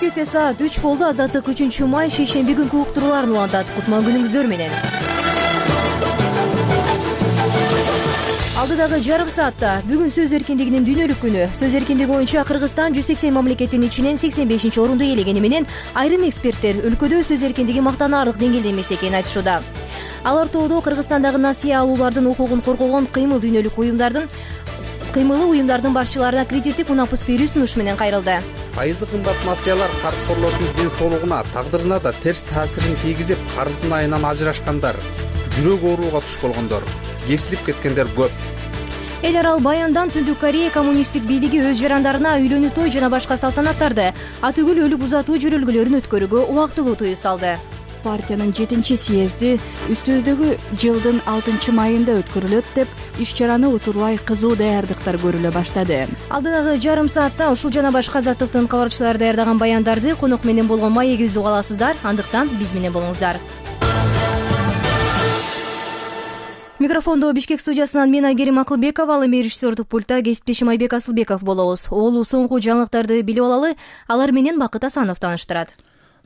Бишкекте саат 3 болду. Азаттык 3-май шейшемби күнкү уктурууларын улантат. Кутман күнүңүздөр менен. Алдыдагы жарым саатта бүгүн сөз эркиндигинин дүйнөлүк күнү. Сөз эркиндиги боюнча Кыргызстан 180 мамлекеттин ичинен 85-орунду ээлегени менен айрым эксперттер өлкөдө сөз эркиндиги мактанаарлык деңгээлде эмес экенин айтышууда. Ал ортодо Кыргызстандагы насыя алуулардын укугун коргогон кыймылы уюмдардын башчыларына кредиттик унапыс берүү сунушу менен кайрылды. Пайызы кымбат насыялар карызкорлордун ден соолугуна, тагдырына да терс таасирин тийгизип, карыздын айынан ажырашкандар, жүрөк ооруга туш болгондор, кесилип кеткендер көп. Эл арал баяндан Түндүк Корея коммунисттик бийлиги өз жарандарына үйлөнүү, той жана башка салтанаттарды, атүгүл өлүк узатуу жүрөлгөлөрүн өткөрүүгө убактылуу тыюу салды. Партиянын 7-съезди үстүбүздөгү жылдын 6-майында өткөрүлөт деп иш-чараны утурбай кызуу даярдыктар көрүлө баштады. Алдыдагы жарым саатта ушул жана башка азаттыктын кабарчылары даярдаган баяндарды конок менен болгон маегибизди уга аласыздар. Андыктан биз менен болуңуздар. Микрофондо Бишкек студиясынан мен Айгерим Акылбекова, ал эми режиссердук пультта кесиптешим Айбек Асылбеков болобуз. Оолу соңку жаңылыктарды билип алалы, алар менен Бакыт Асанов тааныштырат.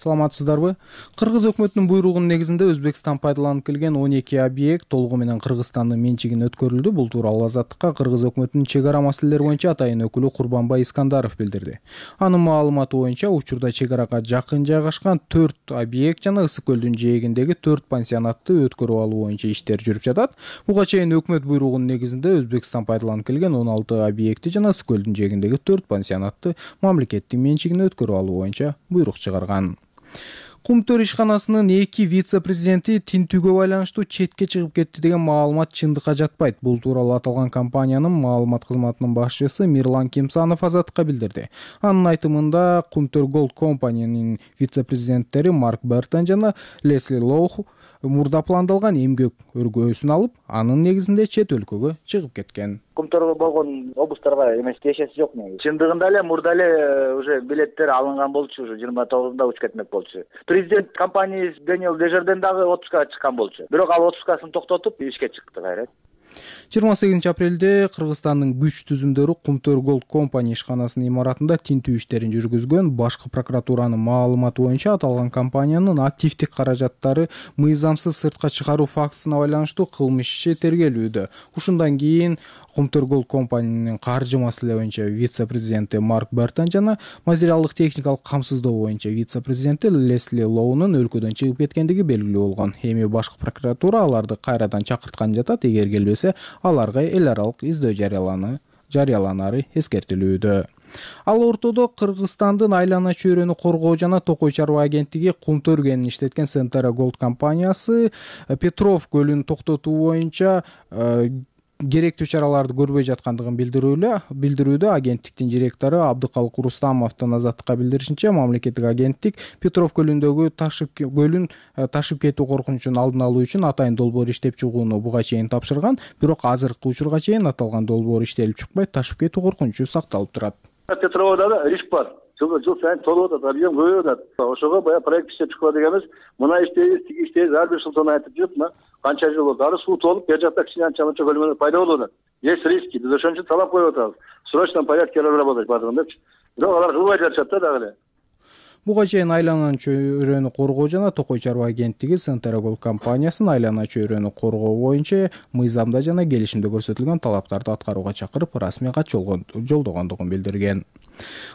Саламатсыздарбы? Кыргыз өкмөтүнүн буйругунун негизинде Өзбекстан пайдаланып келген 12 объект толугу менен Кыргызстандын менчигине өткөрүлдү. Бул тууралуу Азаттыкка Кыргыз өкмөтүнүн чек ара маселелери боюнча атайын өкүлү Курбанбай Искандаров билдирди. Анын маалыматы боюнча учурда чек арага жакын жайгашкан 4 объект жана Ысык көлдүн жээгиндеги 4 пансионатты өткөрүп алуу боюнча иштер жүрүп жатат. Буга чейин өкмөт буйругунун негизинде Өзбекстан пайдаланып келген 16 объекти жана Ысык көлдүн жээгиндеги 4 пансионатты мамлекеттин менчигине өткөрүп алуу боюнча буйрук чыгарган. Кумтөр ишканасынын 2 вице-президенти тинтүүгө байланыштуу четке чыгып кетти деген маалымат чындыкка жатпайт. Бул тууралуу аталган компаниянын маалымат кызматынын башчысы Мирлан Кимсанов Азаттыкка билдирди. Анын айтымында Кумтөр Голд компаниянын вице-президенттери Марк Бертон жана Лесли Лоу мурда пландалган эмгек өргөөсүн алып, анын негизинде чет өлкөгө чыгып кеткен. Кумторго болгон обустарга эмес тиешеси жок негизи. Чындыгында эле мурда эле уже билеттер алынган болчу, уже 29-да учуп кетмек болчу. Президент компаниясы Дэниел Дежерден дагы отпускага чыккан болчу. Бирок ал отпускасын токтотуп ишке чыкты кайра. 28 апрелде Кыргызстандын күч түзүмдөрү Кумтөр Голд компания ишканасынын имаратында тинтүү иштерин жүргүзгөн. Башкы прокуратуранын маалыматы боюнча аталган компаниянын активдик каражаттары мыйзамсыз сыртка чыгаруу фактысына байланыштуу кылмыш иши тергелүүдө. Ушундан кийин Кумтөр Голд компаниянын каржы маселе боюнча вице-президенти Марк Бертон жана материалдык техникалык камсыздоо боюнча вице-президенти Лесли Лоунун өлкөдөн чыгып кеткендиги белгилүү болгон. Эми башкы прокуратура аларды кайрадан чакырткан жатат. Эгер келбесе, аларга эл аралык издөө жарыяланары эскертилүүдө. Ал ортодо Кыргызстандын айлана чөйрөнү коргоо жана Токой чарба агенттиги Кумтөр кенин иштеткен Сентера Голд компаниясы Петров көлүн токтотуу боюнча керектүү чараларды көрбөй жаткандыгын билдирүүдө. Агенттиктин директору Абдыкалык Рустамовдун Азаттыкка билдиришинче, мамлекеттик агенттик Петров көлүндөгү ташып кетүү коркунучун алдын алуу үчүн атайын долбоор иштеп чыгууну буга чейин тапшырган. Бирок азыркы учурга чейин аталган долбоор иштелип чыкпай, ташып кетүү коркунучу сакталып турат. Петровда да риск бар. Жыл сайын толуп атат, объем көбөйүп атат. Ошого баягы проект иштеп чыкпа дегенбиз. Мына иштейбиз, тиги иштейбиз, ар бир жылдан айтып жүрүп, мына канча жыл болду. Ары суу толуп, бер жакта кичине анча-мынча көлмөлөр пайда болуп атат. Есть риски. Биз ошон үчүн талап коюп атабыз. В срочном порядке разработать бардыгын депчи. Бирок алар кылбай жатышат да дагы эле. Буга чейин айлананын чөйрөнү коргоо жана Токой чарба агенттиги Сентера Голд компаниясын айлана чөйрөнү коргоо боюнча мыйзамда жана келишимде көрсөтүлгөн талаптарды аткарууга чакырып, расмий кат жолдогондугун билдирген.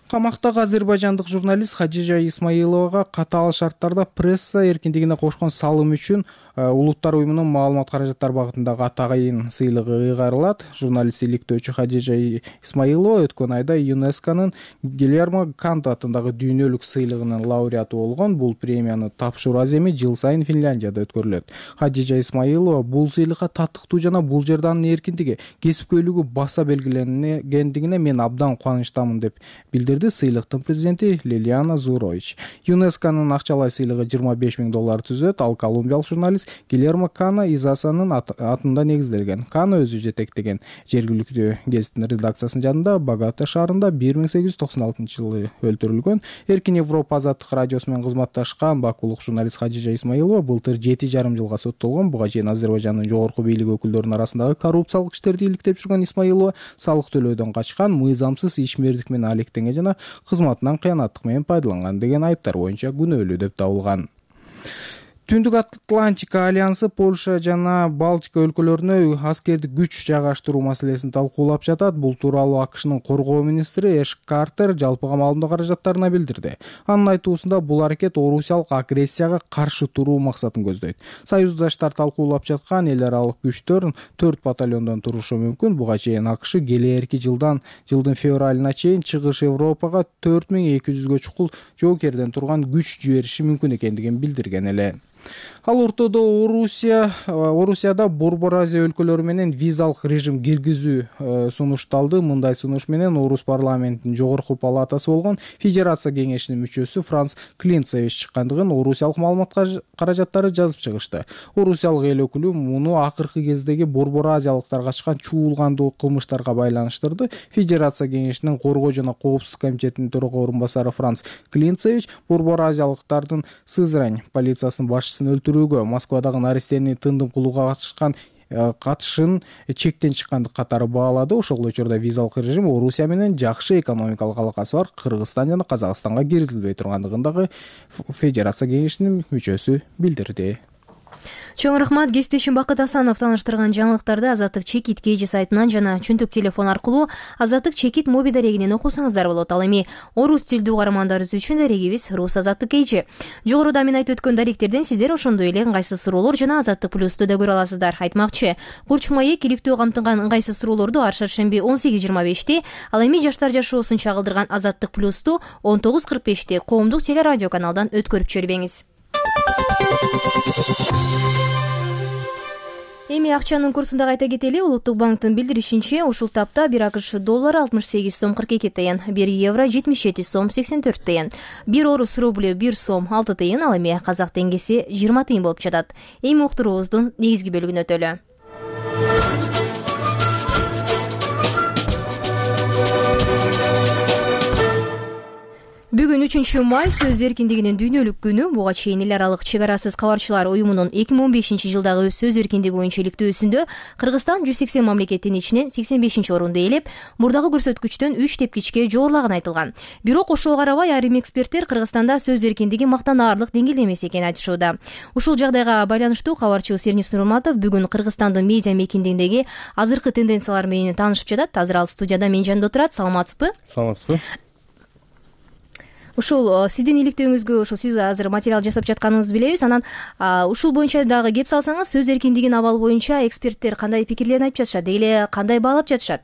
Камактагы азербайжандык журналист Хадижа Исмаиловага катаал шарттарда пресса эркиндигине кошкон салым үчүн Улуттар уюмунун маалымат каражаттар багытындагы атайын сыйлыгы ыйгарылат. Журналист иликтөөчү Хадижа Исмаилова өткөн айда ЮНЕСКОнун Гильермо Канто атындагы дүйнөлүк сыйлыгынын лауреаты болгон. Бул премияны тапшыруу аземи жыл сайын Финляндияда өткөрүлөт. Хадижа Исмаилова бул сыйлыкка татыктуу жана бул жерде анын эркиндиги, кесипкөйлүгү баса белгиленгендигине мен абдан кубанычтамын деп билдирди сыйлыктын президенти Лилиана Зурович. ЮНЕСКОнун акчалай сыйлыгы $25,000 түзөт. Ал колумбиялык журналист Гильермо Кана Изасанын атында негизделген. Кана өзү жетектеген жергиликтүү гезиттин редакциясынын жанында Богата шаарында 1896 жылы өлтүрүлгөн. Эркин Европа Европа азаттык радиосу менен кызматташкан бакулук журналист Хадижа Исмаилова былтыр 7,5 жылга соттолгон. Буга чейин Азербайжандын жогорку бийлик өкүлдөрүнүн арасындагы коррупциялык иштерди иликтеп жүргөн Исмаилова салык төлөөдөн качкан, мыйзамсыз ишмердик менен алектенген жана кызматынан кыянаттык менен пайдаланган деген айыптар боюнча күнөөлүү деп табылган. Түндүк Атлантика альянсы Польша жана Балтика өлкөлөрүнө аскердик күч жайгаштыруу маселесин талкуулап жатат. Бул тууралуу АКШнын коргоо министри Эш Картер жалпыга маалымдоо каражаттарына билдирди. Анын айтуусунда бул аракет орусиялык агрессияга каршы туруу максатын көздөйт. Союздаштар талкуулап жаткан эл аралык күчтөр 4 батальондон турушу мүмкүн. Буга чейин АКШ келээрки жылдын февралына чейин Чыгыш Европага 4200гө чукул жоокерден турган күч жибериши мүмкүн экендигин билдирген эле. Ал ортодо Орусияда Борбор Азия өлкөлөрү менен визалык режим киргизүү сунушталды. Мындай сунуш менен Орус парламентинин жогорку палатасы болгон Федерация кеңешинин мүчөсү Франц Клинцевич чыккандыгын орусиялык маалымат каражаттары жазып чыгышты. Орусиялык эл өкүлү муну акыркы кездеги Борбор Азиялыктар качкан чуулгандуу кылмыштарга байланыштырды. Федерация кеңешинин коргоо жана коопсуздук комитетинин төрага орун басары Франц Клинцевич Борбор Азиялыктардын Сызрань полициясынын башчысын өлтүрүүгө, Москвадагы Наристени тындым кылууга катышын чектен чыккандык катары баалады. Ошол учурда визалык режим Орусия менен жакшы экономикалык алакасы бар Кыргызстан жана Казакстанга киргизилбей тургандыгын дагы Федерация кеңешинин мүчөсү билдирди. Чоң рахмат. Кесиптешим Бакыт Асанов тааныштырган жаңылыктарды Азаттык Чекит KG сайтынан жана чөнтөк телефон аркылуу Азаттык Чекит моби дарегинен окусаңыздар болот. Ал эми орус тилдүү каармандарыбыз үчүн дарегибиз Рус Азаттык KG. Жогоруда мен айтып өткөн даректерден сиздер ошондой эле ыңгайсыз суроолор жана Азаттык Плюсту да көрө аласыздар. Айтмакчы, Курч Маек иликтөө камтыган ыңгайсыз суроолорду ар шаршемби 18:25 ал эми жаштар жашоосун чагылдырган Азаттык Плюсту 19:45 коомдук телерадио каналдан өткөрүп чөрбөңүз. Эми акчанын курсун да кайта кетели. Улуттук банктын билдиришинче, ушул тапта 1 АКШ доллары 68 сом 42 тыйын, 1 евро 77 сом 84 тыйын, 1 орус рублю 1 сом 6 тыйын, ал эми казак теңгеси 20 тыйын болуп жатат. Эми уктуруубуздун негизги бөлүгүнө өтөлү. Бүгүн 3 май сөз эркиндигинин дүйнөлүк күнү. Буга чейин эл аралык чек арасыз кабарчылар уюмунун 2015 жылдагы сөз эркиндиги боюнча иликтөөсүндө Кыргызстан 180 мамлекеттин ичинен 85 орунду ээлеп, мурдагы көрсөткүчтөн 3 тепкичке жогорулаган айтылган. Бирок ошого карабай айрым эксперттер Кыргызстанда сөз эркиндиги мактанаарлык деңгээлде эмес экенин айтышууда. Ушул жагдайга байланыштуу кабарчыбыз Сернис Нурматов бүгүн Кыргызстандын медиа мейкиндигиндеги азыркы тенденциялар менен таанышып жатат. Азыр ал студияда менин жанымда отурат. Саламатсызбы? Саламатсызбы? Ушул сиздин иликтөөңүзгө ушул сиз азыр материал жасап жатканыңызды билебиз. Анан ушул боюнча дагы кеп салсаңыз, сөз эркиндигинин абалы боюнча эксперттер кандай пикирлерин айтып жатышат, деги эле кандай баалап жатышат?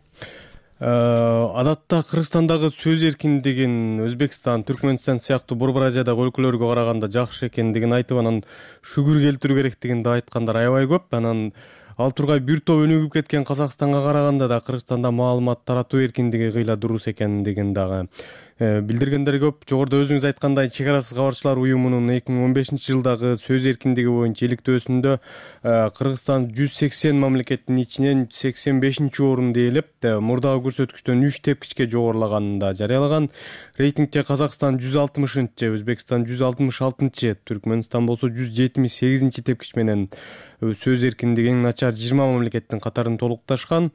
Адатта Кыргызстандагы сөз эркиндигин Өзбекстан, Түркмөнстан сыяктуу Борбор Азиядагы өлкөлөргө караганда жакшы экендигин айтып, анан шүгүр келтирүү керектигин да айткандар аябай көп. Анан ал тургай бир топ өнүгүп кеткен Казакстанга караганда да Кыргызстанда маалымат таратуу эркиндиги кыйла дурус экендигин дагы билдиргендер көп. Жогоруда өзүңүз айткандай, чек арасыз кабарчылар уюмунун 2015 жылдагы сөз эркиндиги боюнча иликтөөсүндө Кыргызстан 180 мамлекеттин ичинен 85 орунду ээлеп, мурдагы көрсөткүчтөн 3 тепкичке жогорулаганын да жарыялаган. Рейтингте Казакстан 160-чы, Өзбекстан 166-чы, Түркмөнстан болсо 178-чи тепкич менен сөз эркиндигинин начар 20 мамлекеттин катарын толукташкан.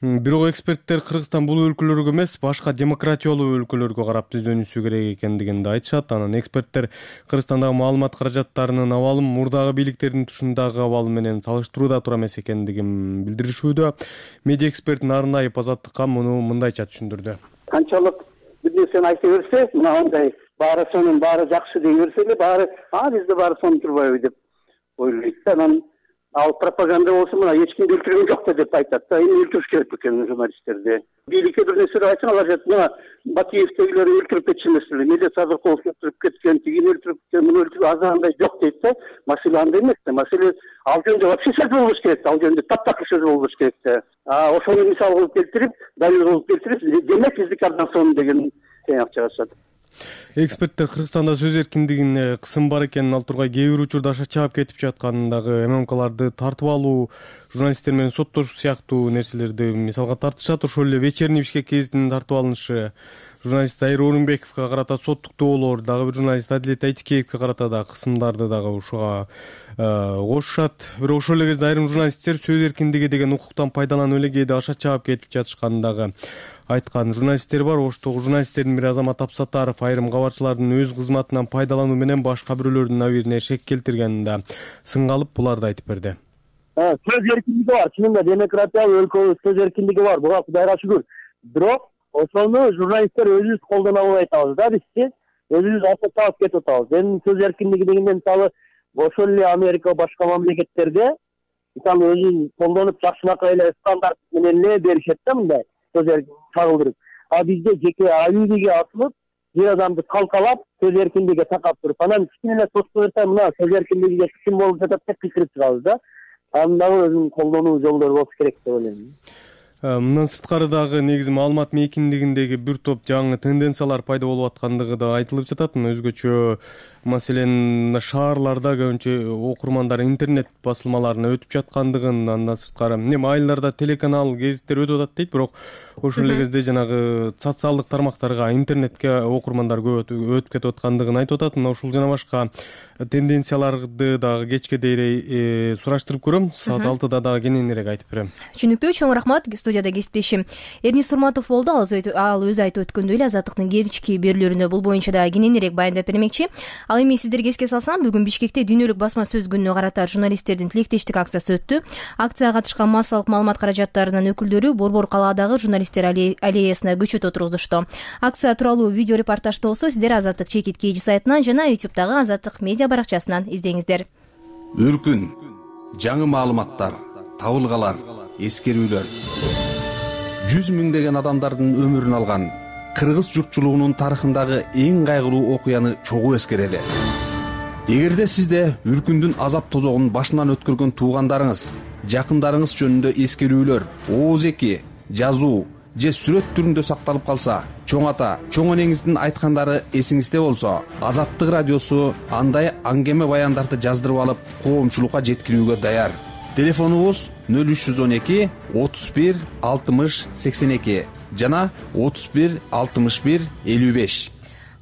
Бирок эксперттер Кыргызстан бул өлкөлөргө эмес, башка демократиялуу өлкөлөргө карап түздөнүшү керек экендигин да айтышат. Анан эксперттер Кыргызстандагы маалымат каражаттарынын абалын мурдагы бийликтердин тушундагы абалы менен салыштырууда туура эмес экендигин билдиришүүдө. Медиа эксперт Нарынаев Азаттыкка муну мындайча түшүндүрдү. Канчалык бир нерсени айта берсе, мынандай баары сонун, баары жакшы дей берсе эле, баары бизде баары сонун турбайбы деп ойлойт. Анан ал пропаганда болсо мына эч кимди өлтүргөн жок деп айтат да. Эми өлтүрүш керек экен журналисттерди. Бийликке бир нерсе айтсаң, алар айтат, мына Батиевтегилер өлтүрүп кетчү эмеспи, Медет Садыков өлтүрүп кеткен, тигини өлтүрүп кеткен, муну өлтүрүп азандай жок дейт да. Маселе андай эмес да. Маселе ал жөнүндө вообще сөз болбош керек, ал жөнүндө таптакыр сөз болбош керек да. Ошону мисал кылып келтирип, далил кылып келтирип, демек биздики абдан сонун деген тыйнак чыгышат. Эксперттер Кыргызстанда сөз эркиндигине кысым бар экенин, ал тургай кээ бир учурда аша чаап кетип жатканын дагы, ММКларды тартып алуу, журналисттер менен соттошуу сыяктуу нерселерди мисалга тартышат. Ошол эле вечерний Бишкек гезитинин тартып алынышы, журналист Айыр Орунбековго карата соттук доолор, дагы бир журналист Адилет Айтикеевге карата да кысымдарды дагы ушуга кошушат. Бирок ошол эле кезде айрым журналисттер сөз эркиндиги деген укуктан пайдаланып эле кээде аша чаап кетип жатышканын дагы айткан журналисттер бар. Оштогу журналисттердин бири Азамат Абсаттаров айрым кабарчылардын өз кызматынан пайдалануу менен башка бирөөлөрдүн абийирине шек келтиргенин да сынга алып буларды айтып берди. Сөз эркиндиги бар, чынында демократиялык өлкөбүз сөз эркиндиги бар, буга Кудайга шүгүр. Бирок ошону журналисттер өзүбүз колдоно албай атабыз да, бизчи өзүбүз аша чаап кетип атабыз. Эми сөз эркиндиги дегенде мисалы ошол эле Америка башка мамлекеттерде мисалы өзүн колдонуп жакшынакай эле стандарт менен эле беришет да, мындай сөз эркиндиги чагылдырып. А бизде жеке алибиге асылып, бир адамды калкалап, сөз эркиндиgiге такап туруп, анан кичине эле тоско берсе, мына сөз эркиндигиге ким болуп жатат деп кыйкырып чыгабыз да. Анын дагы өзүнүн колдонуу жолдору болуш керек деп ойлойм. Мындан сырткары дагы негизи маалымат мейкиндигиндеги бир топ жаңы тенденциялар пайда болуп аткандыгы да айтылып жатат. Өзгөчө маселен шаарларда көбүнчө окурмандар интернет басылмаларына өтүп жаткандыгын, андан сырткары эми айылдарда телеканал, гезиттер өтүп атат дейт, бирок ошол эле кезде жанагы социалдык тармактарга, интернетке окурмандар көп өтүп кетип аткандыгын айтып атат. Мына ушул жана башка тенденцияларды дагы кечке дейре сураштырып көрөм. Саат 6-да дагы кененирээк айтып берем. Түшүнүктүү, чоң рахмат. Студияда кесиптешим Эрнис Сурматов болду. Ал өзү айтып өткөндөй эле Азаттыктын кечки берүүлөрүндө бул боюнча да кененирээк баяндап бермекчи. Ал эми сиздерге эске салсам, бүгүн Бишкекте дүйнөлүк басма сөз күнүнө карата журналисттердин тилектештик акциясы өттү. Акцияга катышкан массалык маалымат каражаттарынын өкүлдөрү Борбор калаадагы журналисттер аллеясына көчөт отургузушту. Акция тууралуу видео репортажды болсо сиздер Азаттык чекит KG сайтынан жана YouTube'дагы Азаттык медиа баракчасынан издеңиздер. Өркүн, жаңы маалыматтар, табылгалар, эскерүүлөр. 100 миңдеген адамдардын өмүрүн алган кыргыз журтчулугунун тарыхындагы эң кайгылуу окуяны чогуу эскерели. Эгерде сизде Үркүндүн азап тозогун башынан өткөргөн туугандарыңыз, жакындарыңыз жөнүндө эскерүүлөр, ооз-эки, жазуу же сүрөт түрүндө сакталып калса, чоң ата, чоң энеңиздин айткандары эсиңизде болсо, Азаттык радиосу андай аңгеме баяндарды жаздырып алып, коомчулукка жеткирүүгө даяр. Телефонубуз 0312 31 60 82 жана 31 61 55.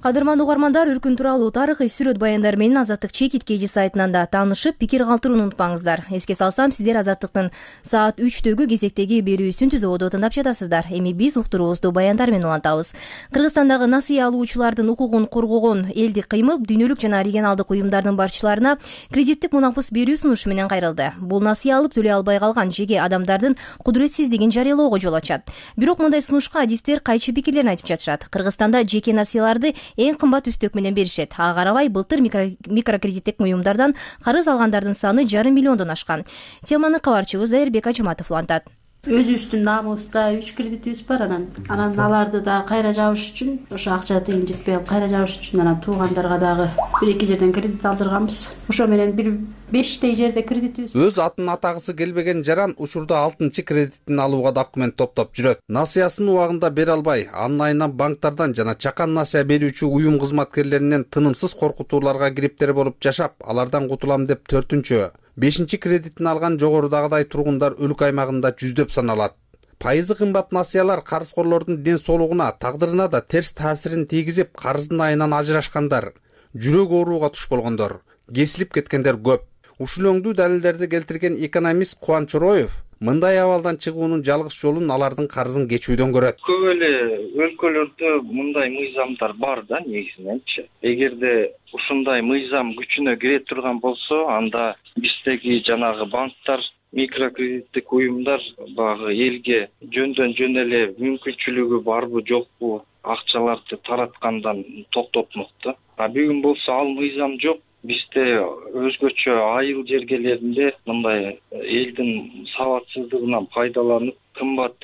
Кадырман угармандар, Үркүн тууралуу тарыхый сүрөт баяндар менен Азаттык чекит KG сайтынан да таанышып, пикир калтырууну унутпаңыздар. Эске салсам, сиздер Азаттыктын саат 3-төгү кезектеги берүүсүн түзүүгө тыңдап жатасыздар. Эми биз уктуруубузду баяндар менен улантабыз. Кыргызстандагы насыя алуучулардын укугун коргогон элдик кыймыл дүйнөлүк жана регионалдык уюмдардын барчыларына кредиттик мунапыс берүү сунушу менен кайрылды. Бул насыя алып төлөй албай калган жеке адамдардын кудуретсиздигин жарыялоого жол ачат. Бирок мындай сунушка адистер кайчы пикирлерин айтып жатышат. Кыргызстанда жеке насыяларды эң кымбат үстөк менен беришет. Ага карабай былтыр микрокредиттик уюмдардан карыз алгандардын саны 5,5 миллиондон ашкан. Теманы кабарчыбыз Айырбек Ажыматов улантат. Өзүбүздүн намыбызда 3 кредитибиз бар, анан аларды да кайра жабыш үчүн, ошо акча тыйын жетпей кайра жабыш үчүн анан туугандарга дагы 1-2 жерден кредит алдырганбыз. Ошо менен бир 5 жерде кредитибиз. Өз атын атагысы келбеген жаран учурда 6-чы кредитин алууга документ топтоп жүрөт. Насыясын убагында бере албай, анын айынан банктардан жана чакан насыя берүүчү уюм кызматкерлеринен тынымсыз коркутууларга кириптер болуп жашап, алардан кутулам деп 4-чү, 5-чи кредитин алган жогорудагыдай тургундар өлкө аймагында жүздөп саналат. Пайызы кымбат насыялар карызкорлордун ден соолугуна, тагдырына да терс таасирин тийгизип, карыздын айынан ажырашкандар, жүрөк ооруга туш болгондор, кесилип кеткендер көп. Ушул өңдүү далилдерди келтирген экономист Кубаныч Чороев мындай абалдан чыгуунун жалгыз жолун алардын карызын кечүүдөн көрөт. Көп эле өлкөлөрдө мындай мыйзамдар бар да негизиненчи. Эгерде ушундай мыйзам күчүнө кире турган болсо, анда биздеги жанагы банктар, микрокредиттик уюмдар багы элге жөндөн жөн эле мүмкүнчүлүгү барбы жокпу акчаларды тараткандан токтотмок да. А бүгүн болсо ал мыйзам жок. Бизде өзгөчө айыл жергелеринде мындай элдин сабатсыздыгынан пайдаланып, кымбат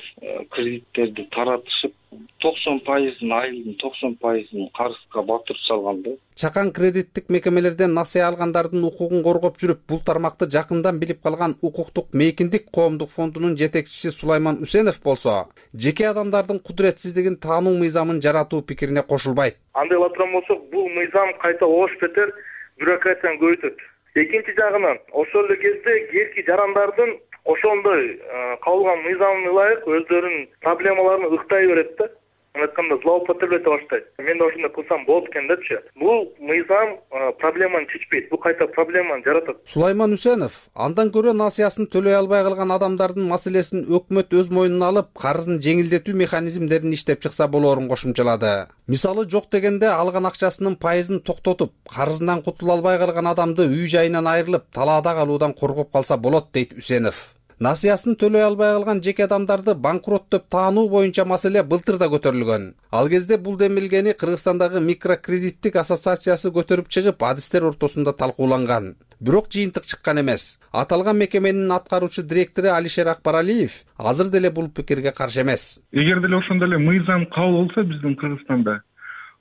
кредиттерди таратышып, 90% айылдын 90% карызга батырып салган да. Чакан кредиттик мекемелерден насыя алгандардын укугун коргоп жүрүп, бул тармакты жакындан билип калган Укуктук мейкиндик коомдук фондунун жетекчиси Сулайман Усенов болсо, жеке адамдардын кудуретсиздигин таануу мыйзамын жаратуу пикирине кошулбайт. Андай эле турган болсок, бул мыйзам кайта ош бетер бюрократияны көбөйтөт. Экинчи жагынан, ошол эле кезде кээинки жарандардын ошондой кабылган мыйзамына ылайык өздөрүнүн проблемаларын ыктай берет да. айтканда злоупотреблете баштайт. Мен да ошондой кылсам болот экен депчи. Бул мыйзам проблеманы чечпейт, бул кайта проблеманы жаратат. Сулайман Үсенов андан көрө насыясын төлөй албай калган адамдардын маселесин өкмөт өз мойнуна алып, карызын жеңилдетүү механизмдерин иштеп чыкса болоорун кошумчалады. Мисалы жок дегенде алган акчасынын пайызын токтотуп, карызынан кутула албай калган адамды үй жайынан айрылып, талаада калуудан коргоп калса болот, дейт Үсенов. Насыясын төлөй албай калган жеке адамдарды банкрот деп таануу боюнча маселе былтыр да көтөрүлгөн. Ал кезде бул демилгени Кыргызстандагы микрокредиттик ассоциациясы көтөрүп чыгып, адистер ортосунда талкууланган. Бирок жыйынтык чыккан эмес. Аталган мекеменин аткаруучу директору Алишер Акбаралиев азыр деле бул пикирге каршы эмес. Эгер деле ошондой эле мыйзам кабыл болсо биздин Кыргызстанда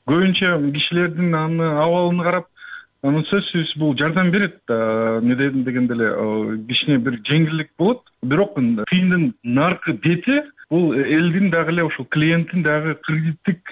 көбүнчө кишилердин абалын карап, сөзсүз бул жардам берет. Эмне дегенде эле кичине бир жеңилдик болот. Бирок тыйындын наркы бети бул элдин дагы эле ошол клиенттин дагы кредиттик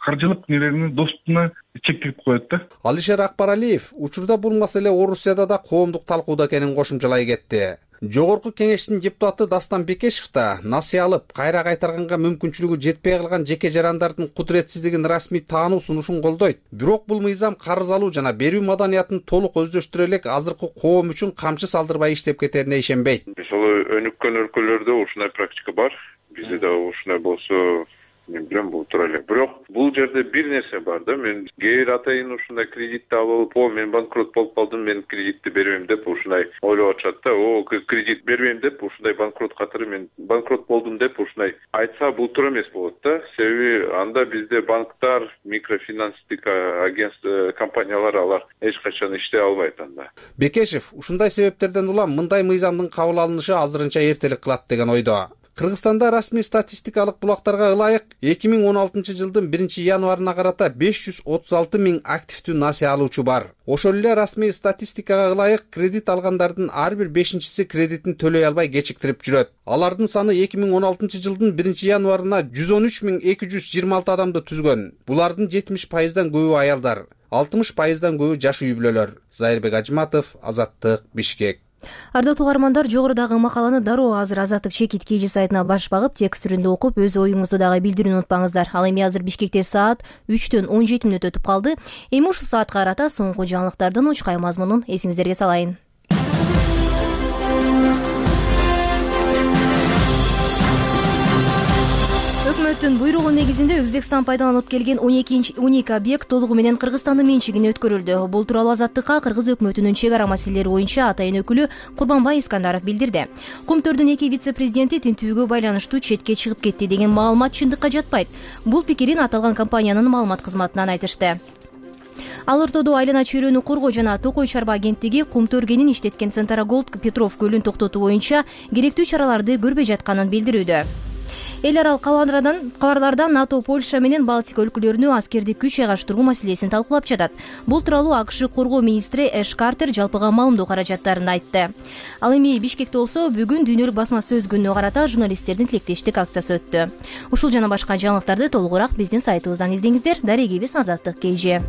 каржылык нелеринин доступуна чектелип коет да. Алишер Акбаралиев учурда бул маселе Орусияда да коомдук талкууда экенин кошумчалай кетти. Жогорку кеңештин депутаты Дастан Бекешев да насыя алып, кайра кайтарганга мүмкүнчүлүгү жетпей калган жеке жарандардын кудуретсиздигин расмий таануу сунушун колдойт. Бирок бул мыйзам карыз алуу жана берүү маданиятын толук өздөштүрө элек азыркы коом үчүн камчы салдырбай иштеп кетерине ишенбейт. Мисалы өнүккөн өлкөлөрдө ушундай практика бар. Бизде да ушундай болсо мен билем бул туура эле. Бирок бул жерде бир нерсе бар да. Мен кээ бир атайын ушундай кредитти алып, мен банкрот болуп калдым, мен кредитти бербейм деп ушундай ойлоп атышат да. Кредит бербейм деп ушундай банкрот катары мен банкрот болдум деп ушундай айтса бул туура эмес болот да. Себеби анда бизде банктар, микрофинанстик агентство компаниялар алар эч качан иштей албайт анда. Бекешев ушундай себептерден улам мындай мыйзамдын кабыл алынышы азырынча эртелик кылат деген ойдо. Кыргызстанда расмий статистикалык булактарга ылайык 2016 жылдын 1-январына карата 536 000 активдүү насыя алуучу бар. Ошол эле расмий статистикага ылайык кредит алгандардын ар бир 5-си кредитин төлөй албай кечиктирип жүрөт. Алардын саны 2016 жылдын 1-январына 113 226 адамды түзгөн. Булардын 70%дан көбү аялдар, 60%дан көбү жаш үй бүлөлөр. Зайырбек Ажматов, Азаттык, Бишкек. Ардактуу угармандар, жогорудагы макаланы дароо азыр Азаттык Чекит KG сайтына баш багып, текст түрүндө окуп, өз оюңузду дагы билдирүүнү унутпаңыздар. Ал эми азыр Бишкекте саат 3:17 өтүп калды. Эми ушул саатка карата соңку жаңылыктардын учкай мазмунун эсиңиздерге салайын. Өкмөттүн буйругу негизинде Өзбекстан пайдаланып келген 12 объект толугу менен Кыргызстандын менчигине өткөрүлдү. Бул тууралуу Азаттыкка Кыргыз өкмөтүнүн чек ара маселелери боюнча атайын өкүлү Курбанбай Искандаров билдирди. Кумтөрдүн 2 вице-президенти тинтүүгө байланыштуу четке чыгып кетти деген маалымат чындыкка жатпайт. Бул пикирин аталган компаниянын маалымат кызматынан айтышты. Ал ортодо айлана чөйрөнү коргоо жана Токой чарба агенттиги Кумтөр кенин иштеткен Центраголд Петров көлүн токтотуу боюнча керектүү чараларды көрбөй жатканын билдирүүдө. Эл аралык кабарлардан НАТО, Польша менен Балтика өлкөлөрүнө аскердик күч жайгаштыруу маселесин талкуулап жатат. Бул тууралуу АКШ коргоо министри Эш Картер жалпыга маалымдоо каражаттарын айтты. Ал эми Бишкекте болсо бүгүн дүйнөлүк басма сөз күнүнө карата журналисттердин тилектештик акциясы өттү. Ушул жана башка жаңылыктарды толугураак биздин сайтыбыздан издеңиздер. Дарегибиз Азаттык KG.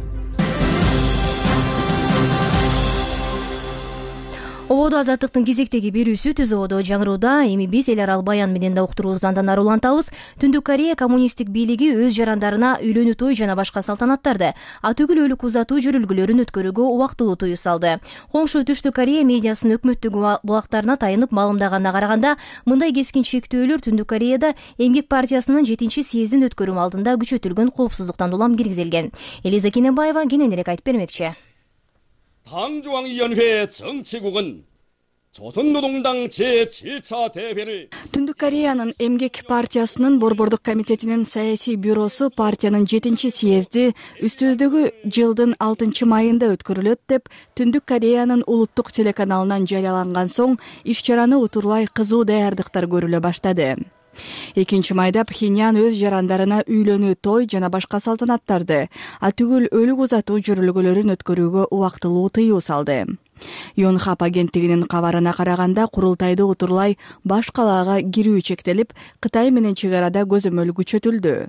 Ободо Азаттыктын кезектеги берүүсү түз ободо жаңырууда. Эми биз эл аралык баян менен да уктуруубузду андан ары улантабыз. Түндүк Корея коммунисттик бийлиги өз жарандарына үйлөнүү той жана башка салтанаттарды, атүгүл өлүк узатуу жүрүлгүлөрүн өткөрүүгө убактылуу тыюу салды. Коңшу Түштүк Корея медиасынын өкмөттүк булактарына тайынып маалымдаганына караганда, мындай кескин чектөөлөр Түндүк Кореяда Эмгек партиясынын 7-съездин өткөрүү алдында күчөтүлгөн коопсуздуктан улам киргизилген. Элиза Кененбаева кененирээк айтып бермекчи. 당중앙위원회 정치국은 조선노동당 제7차 대회를 Түндүк Кореянын Эмгек партиясынын борбордук комитетинин саясий бюросу партиянын 7-съезди үстүбүздөгү жылдын 6-майында өткөрүлөт деп Түндүк Кореянын улуттук телеканалынан жарыяланган соң иш-чараны утурлай кызуу даярдыктар көрүлө баштады. 2-майда Пхеньян өз жарандарына үйлөнүү той жана башка салтанаттарды, атүгүл өлүк узатуу жүрүлгөлөрүн өткөрүүгө убактылуу тыюу салды. Yonhap агенттигинин кабарына караганда, курултайды утурлай баш калаага кирүү чектелип, Кытай менен чек арада көзөмөл күчөтүлдү.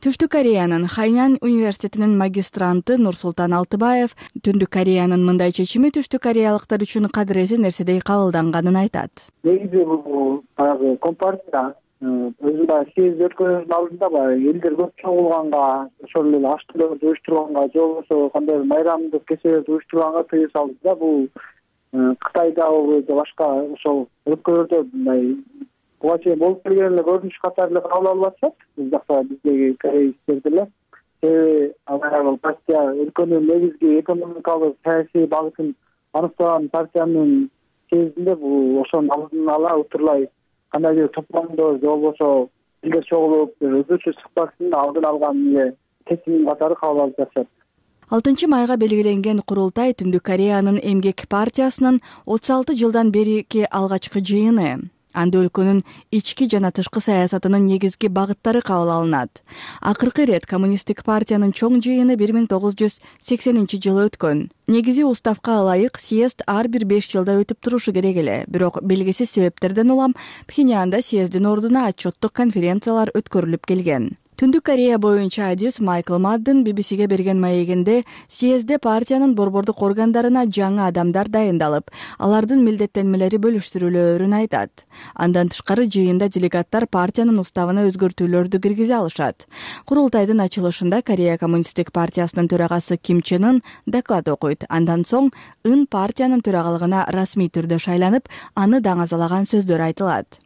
Түштүк Кореянын Хайнян университетинин магистранты Нурсултан Алтыбаев Түндүк Кореянын мындай чечими түштүк кореялыктар үчүн кадыреси нерседей кабылданганын айтат. Негизи бул компартия өзүм баягы съезд өткөнүнүн алдында баягы элдер көп чогулганга, ошол эле аш төлөрдү уюштурганга же болбосо кандайбыр майрамдык кечелерди уюштурганга тыюу салды да. Бул Кытайдабы же башка ошол өлкөлөрдө мындай буга чейин болуп келген эле көрүнүш катары эле кабыл алып атышат. Биз жакта биздеги кореецтер деле. Себеби ал партия өлкөнүн негизги экономикалык саясий багытын аныктаган партиянын съездинде бул ошонун алдын ала утурлай кандайдыр топломдо же болбосо элдер чогулуп өзгөчө чыкпасын алдын алган эле чечим катары кабыл алып жатышат. 6 майга белгиленген курултай Түндүк Кореянын Эмгек партиясынын 36 жылдан берки алгачкы жыйыны. Анда өлкөнүн ички жана тышкы саясатынын негизги багыттары кабыл алынат. Акыркы ирет коммунисттик партиянын чоң жыйыны 1980-жылы өткөн. Негизи уставка ылайык съезд ар бир 5 жылда өтүп турушу керек эле. Бирок белгисиз себептерден улам Пхеньянда съезддин ордуна отчеттук конференциялар өткөрүлүп келген. Түндүк Корея боюнча адис Майкл Мадден BBCге берген маегинде съездде партиянын борбордук органдарына жаңы адамдар дайындалып, алардын милдеттенмелери бөлүштүрүлөөрүн айтат. Андан тышкары жыйында делегаттар партиянын уставына өзгөртүүлөрдү киргизе алышат. Курултайдын ачылышында Корея коммунисттик партиясынын төрагасы Ким Чен Ын доклад окуйт. Андан соң Ын партиянын төрагалыгына расмий түрдө шайланып, аны даңазалаган сөздөр айтылат.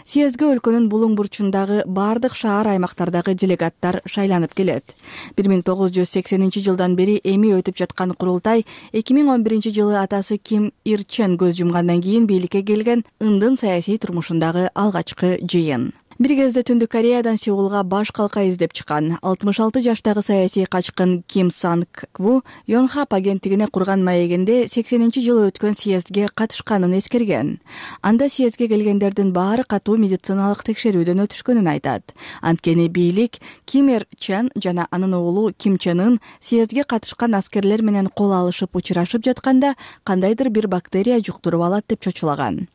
Съездге өлкөнүн булуң бурчундагы бардык шаар аймактардагы делегаттар шайланып келет. 1980-жылдан бери эми өтүп жаткан курултай 2011-жылы атасы Ким Ир Чен көз жумгандан кийин бийликке келген Ындын саясий турмушундагы алгачкы жыйын. Бир кезде Түндүк Кореядан Сеулга баш калка издеп чыккан 66 жаштагы саясий качкын Ким Санг Кву Йонхап агенттигине курган маегинде 80-жылы өткөн съездге катышканын эскерген. Анда съездге келгендердин баары катуу медициналык текшерүүдөн өтүшкөнүн айтат. Анткени бийлик Ким Ир Чен жана анын уулу Ким Чен Ын съездге катышкан аскерлер менен кол алышып учурашып жатканда кандайдыр бир бактерия жуктуруп алат деп чочулаган.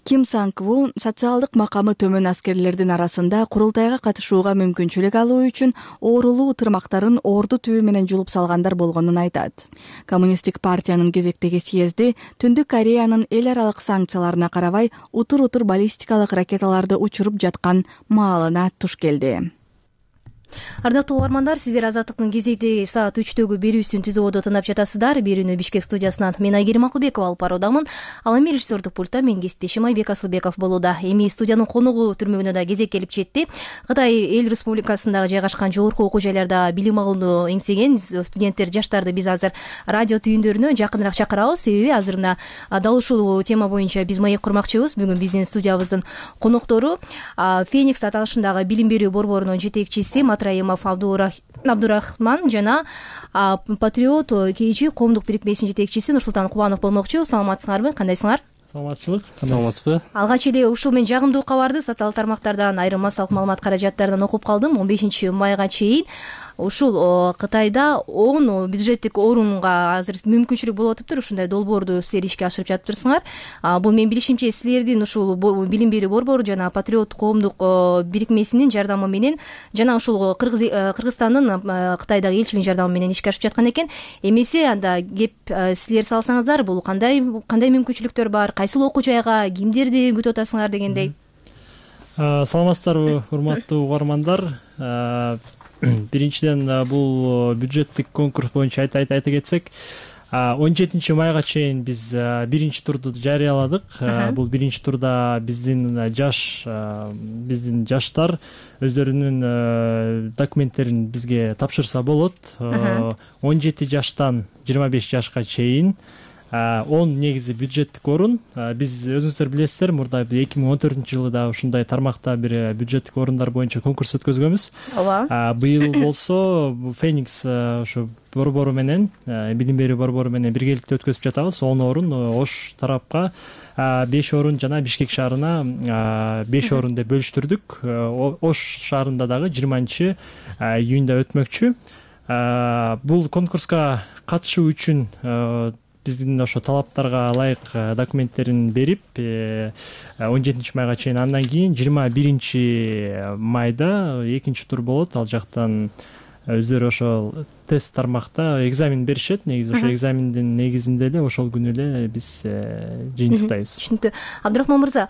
Ким Санг Кву социалдык макамы төмөн аскерлердин арасында курултайга катышууга мүмкүнчүлүк алуу үчүн оорулуу тырмактарын орду түбү менен жулуп салгандар болгонун айтат. Коммунисттик партиянын кезектеги съезди Түндүк Кореянын эл аралык санкцияларына карабай утур-утур баллистикалык ракеталарды учуруп жаткан маалына туш келди. Ардактуу угармандар, сиздер Азаттыктын кезекти саат 3-төгү берүүсүн түзүүдө тыңдап жатасыздар. Берүүнү Бишкек студиясынан мен Айгерим Акылбекова алып баруудамын. Ал эми режиссердук пультта мен кесиптешим Айбек Асылбеков болууда. Эми студиянын конугу түрмөгүнө да кезек келип жетти. Кытай эл республикасындагы жайгашкан жогорку окуу жайларда билим алууну эңсеген студенттер, жаштарды биз азыр радио түйүндөрүнө жакыныраак чакырабыз. Себеби азыр мына дал ушул тема боюнча биз маек курмакчыбыз. Бүгүн биздин студиябыздын коноктору Феникс аталышындагы билим берүү борборунун жетекчиси Матраимов Абдурахман жана Патриот КИЧ коомдук бирикмесинин жетекчиси Нурсултан Кубанов болмокчу. Саламатсыңарбы? Кандайсыңар? Саламатчылык. Саламатсызбы? Алгач эле ушул мен жагымдуу кабарды социалдык тармактардан айрым массалык маалымат каражаттарынан окуп калдым. 15 майга чейин ушул Кытайда 10 бюджеттик орунга азыр мүмкүнчүлүк болуп атыптыр. Ушундай долбоорду силер ишке ашырып жатыптырсыңар. Бул мен билишимче силердин ушул билим берүү борбору жана Патриот коомдук бирикмесинин жардамы менен жана ушул Кыргызстандын Кытайдагы элчилигинин жардамы менен ишке ашып жаткан экен. Эмесе анда кеп силер салсаңыздар, бул кандай мүмкүнчүлүктөр бар, кайсыл окуу жайга, кимдерди күтүп атасыңар дегендей. Саламатсыздарбы, урматтуу угармандар. Биринчиден бул бюджеттик конкурс боюнча айта кетсек, 17 майга чейин биз биринчи турду жарыяладык. Бул биринчи турда биздин жаштар өздөрүнүн документтерин бизге тапшырса болот. 17 жаштан 25 жашка чейин 10 негизи бюджеттик орун. Биз өзүңүздөр билесиздер, мурда 2014-жылы да ушундай тармакта бир бюджеттик орундар боюнча конкурс өткөзгөнбүз. Ооба. Быйыл болсо Феникс ошо борбору менен, билим берүү борбору менен биргеликте өткөзүп жатабыз. 10 орун Ош тарапка 5 орун жана Бишкек шаарына 5 орун деп бөлүштүрдүк. Ош шаарында дагы 20-июнда өтмөкчү. Бул конкурска катышуу үчүн биздин ошо талаптарга ылайык документтерин берип 17 майга чейин, андан кийин 21 майда экинчи тур болот. Ал жактан өздөрү ошол тест тармакта экзамен беришет. Негизи ошо экзамендин негизинде эле ошол күнү эле биз жыйынтыктайбыз. Түшүнүктүү. Абдрахман мырза,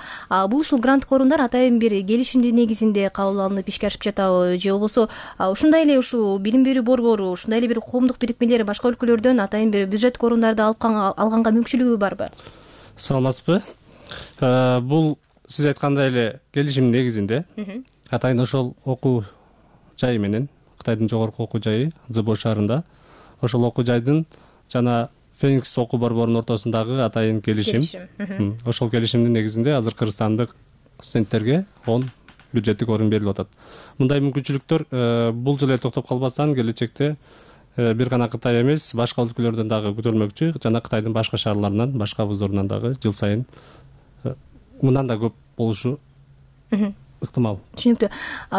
бул ушул гранттык орундар атайын бир келишимдин негизинде кабыл алынып ишке ашып жатабы, же болбосо ушундай эле ушул билим берүү борбору, ушундай эле бир коомдук бирикмелер башка өлкөлөрдөн атайын бир бюджеттик орундарды алганга мүмкүнчүлүгү барбы? Саламатсызбы? Бул сиз айткандай эле келишимдин негизинде атайын ошол окуу жайы менен Кытайдын жогорку окуу жайы Цзыбо шаарында ошол окуу жайдын жана Феникс окуу борборунун ортосундагы атайын келишим. Ошол келишимдин негизинде азыр кыргызстандык студенттерге 10 бюджеттик орун берилип атат. Мындай мүмкүнчүлүктөр бул жылы токтоп калбастан келечекте бир гана Кытай эмес, башка өлкөлөрдөн дагы күтөлмөкчү жана Кытайдын башка шаарларынан, башка вуздарынан дагы жыл сайын мындан да көп болушу ыктымал. Түшүнүктүү.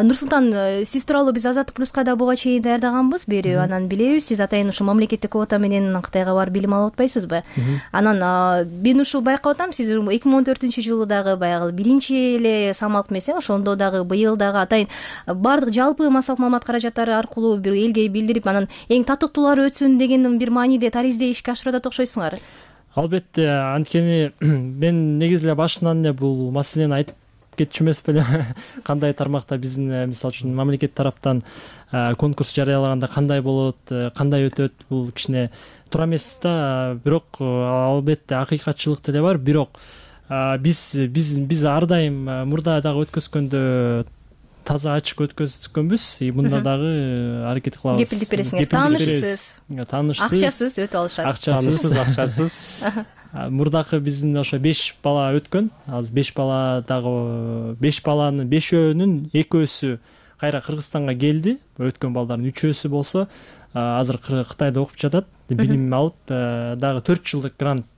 Нурсултан, сиз тууралуу биз Азаттык плюска да буга чейин даярдаганбыз, берүү анан билебиз, сиз атайын ушул мамлекеттик квота менен Кытайга барып билим алып атпайсызбы? Анан мен ушул байкап атам, сиз 2014-жылы дагы баягы биринчи эле самалк эмес, ошондо дагы быйыл дагы атайын баардык жалпы массалык маалымат каражаттары аркылуу бир элге билдирип, анан эң татыктуулары өтсүн деген бир мааниде таризде ишке ашырып атат окшойсуңар. Албетте, анткени мен негизи эле башынан эле бул маселени айтып кетчү эмес белем. Кандай тармакта биздин мисалы үчүн мамлекет тараптан конкурс жарыялаганда кандай болот, кандай өтөт, бул кичине туура эмес да. Бирок албетте акыйкатчылык деле бар. Бирок биз ар дайым мурда дагы өткөзгөндө таза ачык өткөзгөнбүз. Мында дагы аракет кылабыз. Кепилдик бересиңер. Таанышсыз, акчасыз өтүп алышат. Акчасыз. Мурдакы биздин ошо 5 бала өткөн. Азыр 5 бала дагы 5 баланын 5өөнүн 2өсү кайра Кыргызстанга келди. Өткөн балдардын 3өсү болсо азыр Кытайда окуп жатат. Билим алып дагы 4 жылдык грант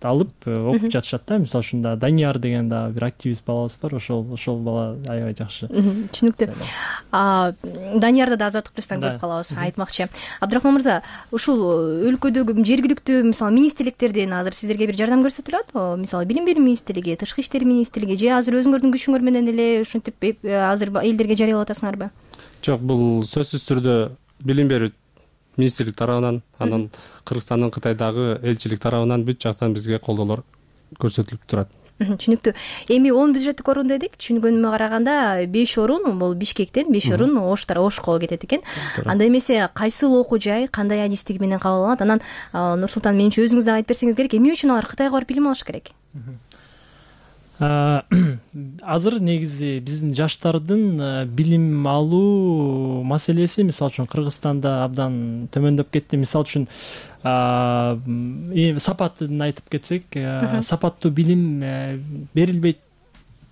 алып окуп жатышат да. Мисалы үчүн Данияр деген да бир активист балабыз бар. Ошол бала аябай жакшы. Түшүнүктүү. Даниярды да Азаттык плюстан көрүп калабыз, айтмакчы. Абдрахман мырза, ушул өлкөдөгү жергиликтүү мисалы министрликтерден азыр сиздерге бир жардам көрсөтүлөт? Мисалы Билим берүү министрлиги, Тышкы иштер министрлиги же азыр өзүңөрдүн күчүңөр менен эле ушинтип азыр элдерге жарыялап атасыңарбы? Жок, бул сөзсүз түрдө Билим берүү министрлик тарабынан, анан Кыргызстандын Кытайдагы элчилик тарабынан бүт жактан бизге колдоолор көрсөтүлүп турат. Түшүнүктүү. Эми 10 бюджеттик орун дедик. Түшүнгөнүмө караганда 5 орун бул Бишкектен, 5 орун Ошко кетет экен. Анда эмесе кайсыл окуу жай, кандай адистиги менен кабыл алынат? Анан Нурсултан, менимче өзүңүз да айтып берсеңиз керек, эмне үчүн алар Кытайга барып билим алыш керек? Азыр негизи биздин жаштардын билим алуу маселеси мисалы үчүн Кыргызстанда абдан төмөндөп кетти. Мисалы үчүн сапатын айтып кетсек, сапаттуу билим берилбейт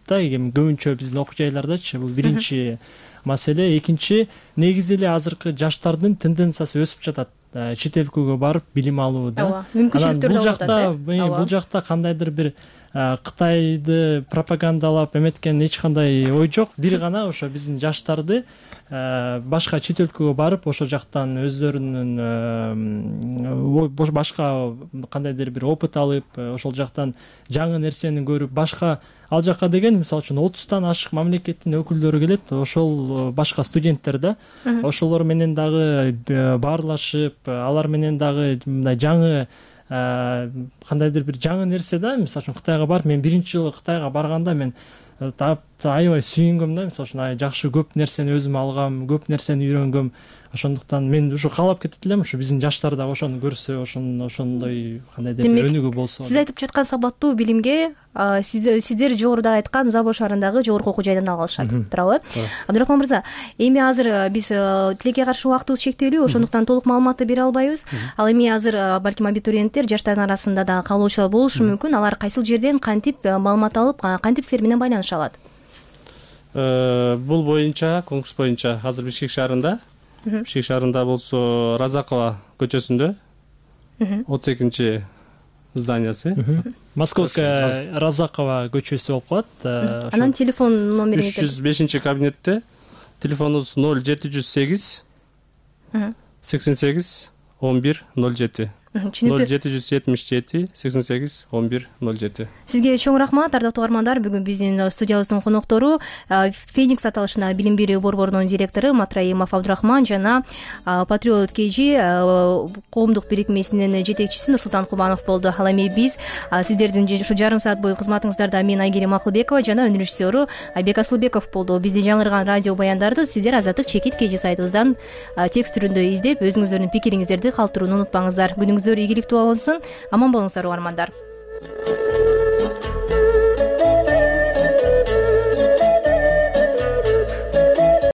да, көбүнчө биздин окуу жайлардачы. Бул биринчи маселе. Экинчи, негизи эле азыркы жаштардын тенденциясы өсүп жатат. Чет элге барып билим алуу да. Бул жакта кандайдыр бир Кытайды пропагандалап эметкен эч кандай ой жок. Бир гана ошо биздин жаштарды башка чет өлкөгө барып, ошол жактан өздөрүнүн башка кандайдыр бир опыт алып, ошол жактан жаңы нерсени көрүп, башка ал жака деген мисалы үчүн 30тан ашык мамлекеттин өкүлдөрү келет. Ошол башка студенттер да. Ошолор менен дагы баарлашып, алар менен дагы мындай жаңы кандайдыр бир жаңы нерсе да. Мисалы үчүн Кытайга барып, мен биринчи жылы Кытайга барганда мен аябай сүйүнгөм да. Мисалы үчүн жакшы көп нерсени өзүм алгам, көп нерсени үйрөнгөм. Ошондуктан мен ушу каалап кетет элем, ушу биздин жаштар да ошону көрсө, ошондой кандайдыр бир өнүгүү болсо. Сиз айтып жаткан сапаттуу билимге сиздер жогоруда айткан Забо шаарындагы жогорку окуу жайдан алышат, туурабы? Абдрахман мырза, эми азыр биз тилекке каршы убактыбыз чектелүү, ошондуктан толук маалыматты бере албайбыз. Ал эми азыр балким абитуриенттер, жаштардын арасында да кабылуучулар болушу мүмкүн. Алар кайсыл жерден кантип маалымат алып, кантип силер менен байланыша алат? Бул боюнча, конкурс боюнча азыр Бишкек шаарында болсо Разакова көчөсүндө 32 зданиясы. Московская Разакова көчөсү болуп калат. Анан телефон номериңиз 305 кабинетте. Телефонубуз 0708 88 11 07. Түшүнүктүү. 0777-88-11-07. Сизге чоң рахмат, ардактуу угармандар. Бүгүн биздин студиябыздын коноктору Феникс аталышына билим берүү борборунун директору Матраимов Абдурахман жана Патриот KG коомдук бирикмесинин жетекчиси Нурсултан Кубанов болду. Ал эми биз сиздердин ушу жарым саат бою кызматыңыздарда мен Айгерим Акылбекова жана өнөр режиссеру Айбек Асылбеков болду. Биздин жаңырган радио баяндарды сиздер Азаттык чекит KG сайтыбыздан текст түрүндө издеп, өзүңүздөрдүн пикириңиздерди калтырууну унутпаңыздар. Күнүңүздөр ийгиликтүү болсун. Аман болуңуздар угармандар.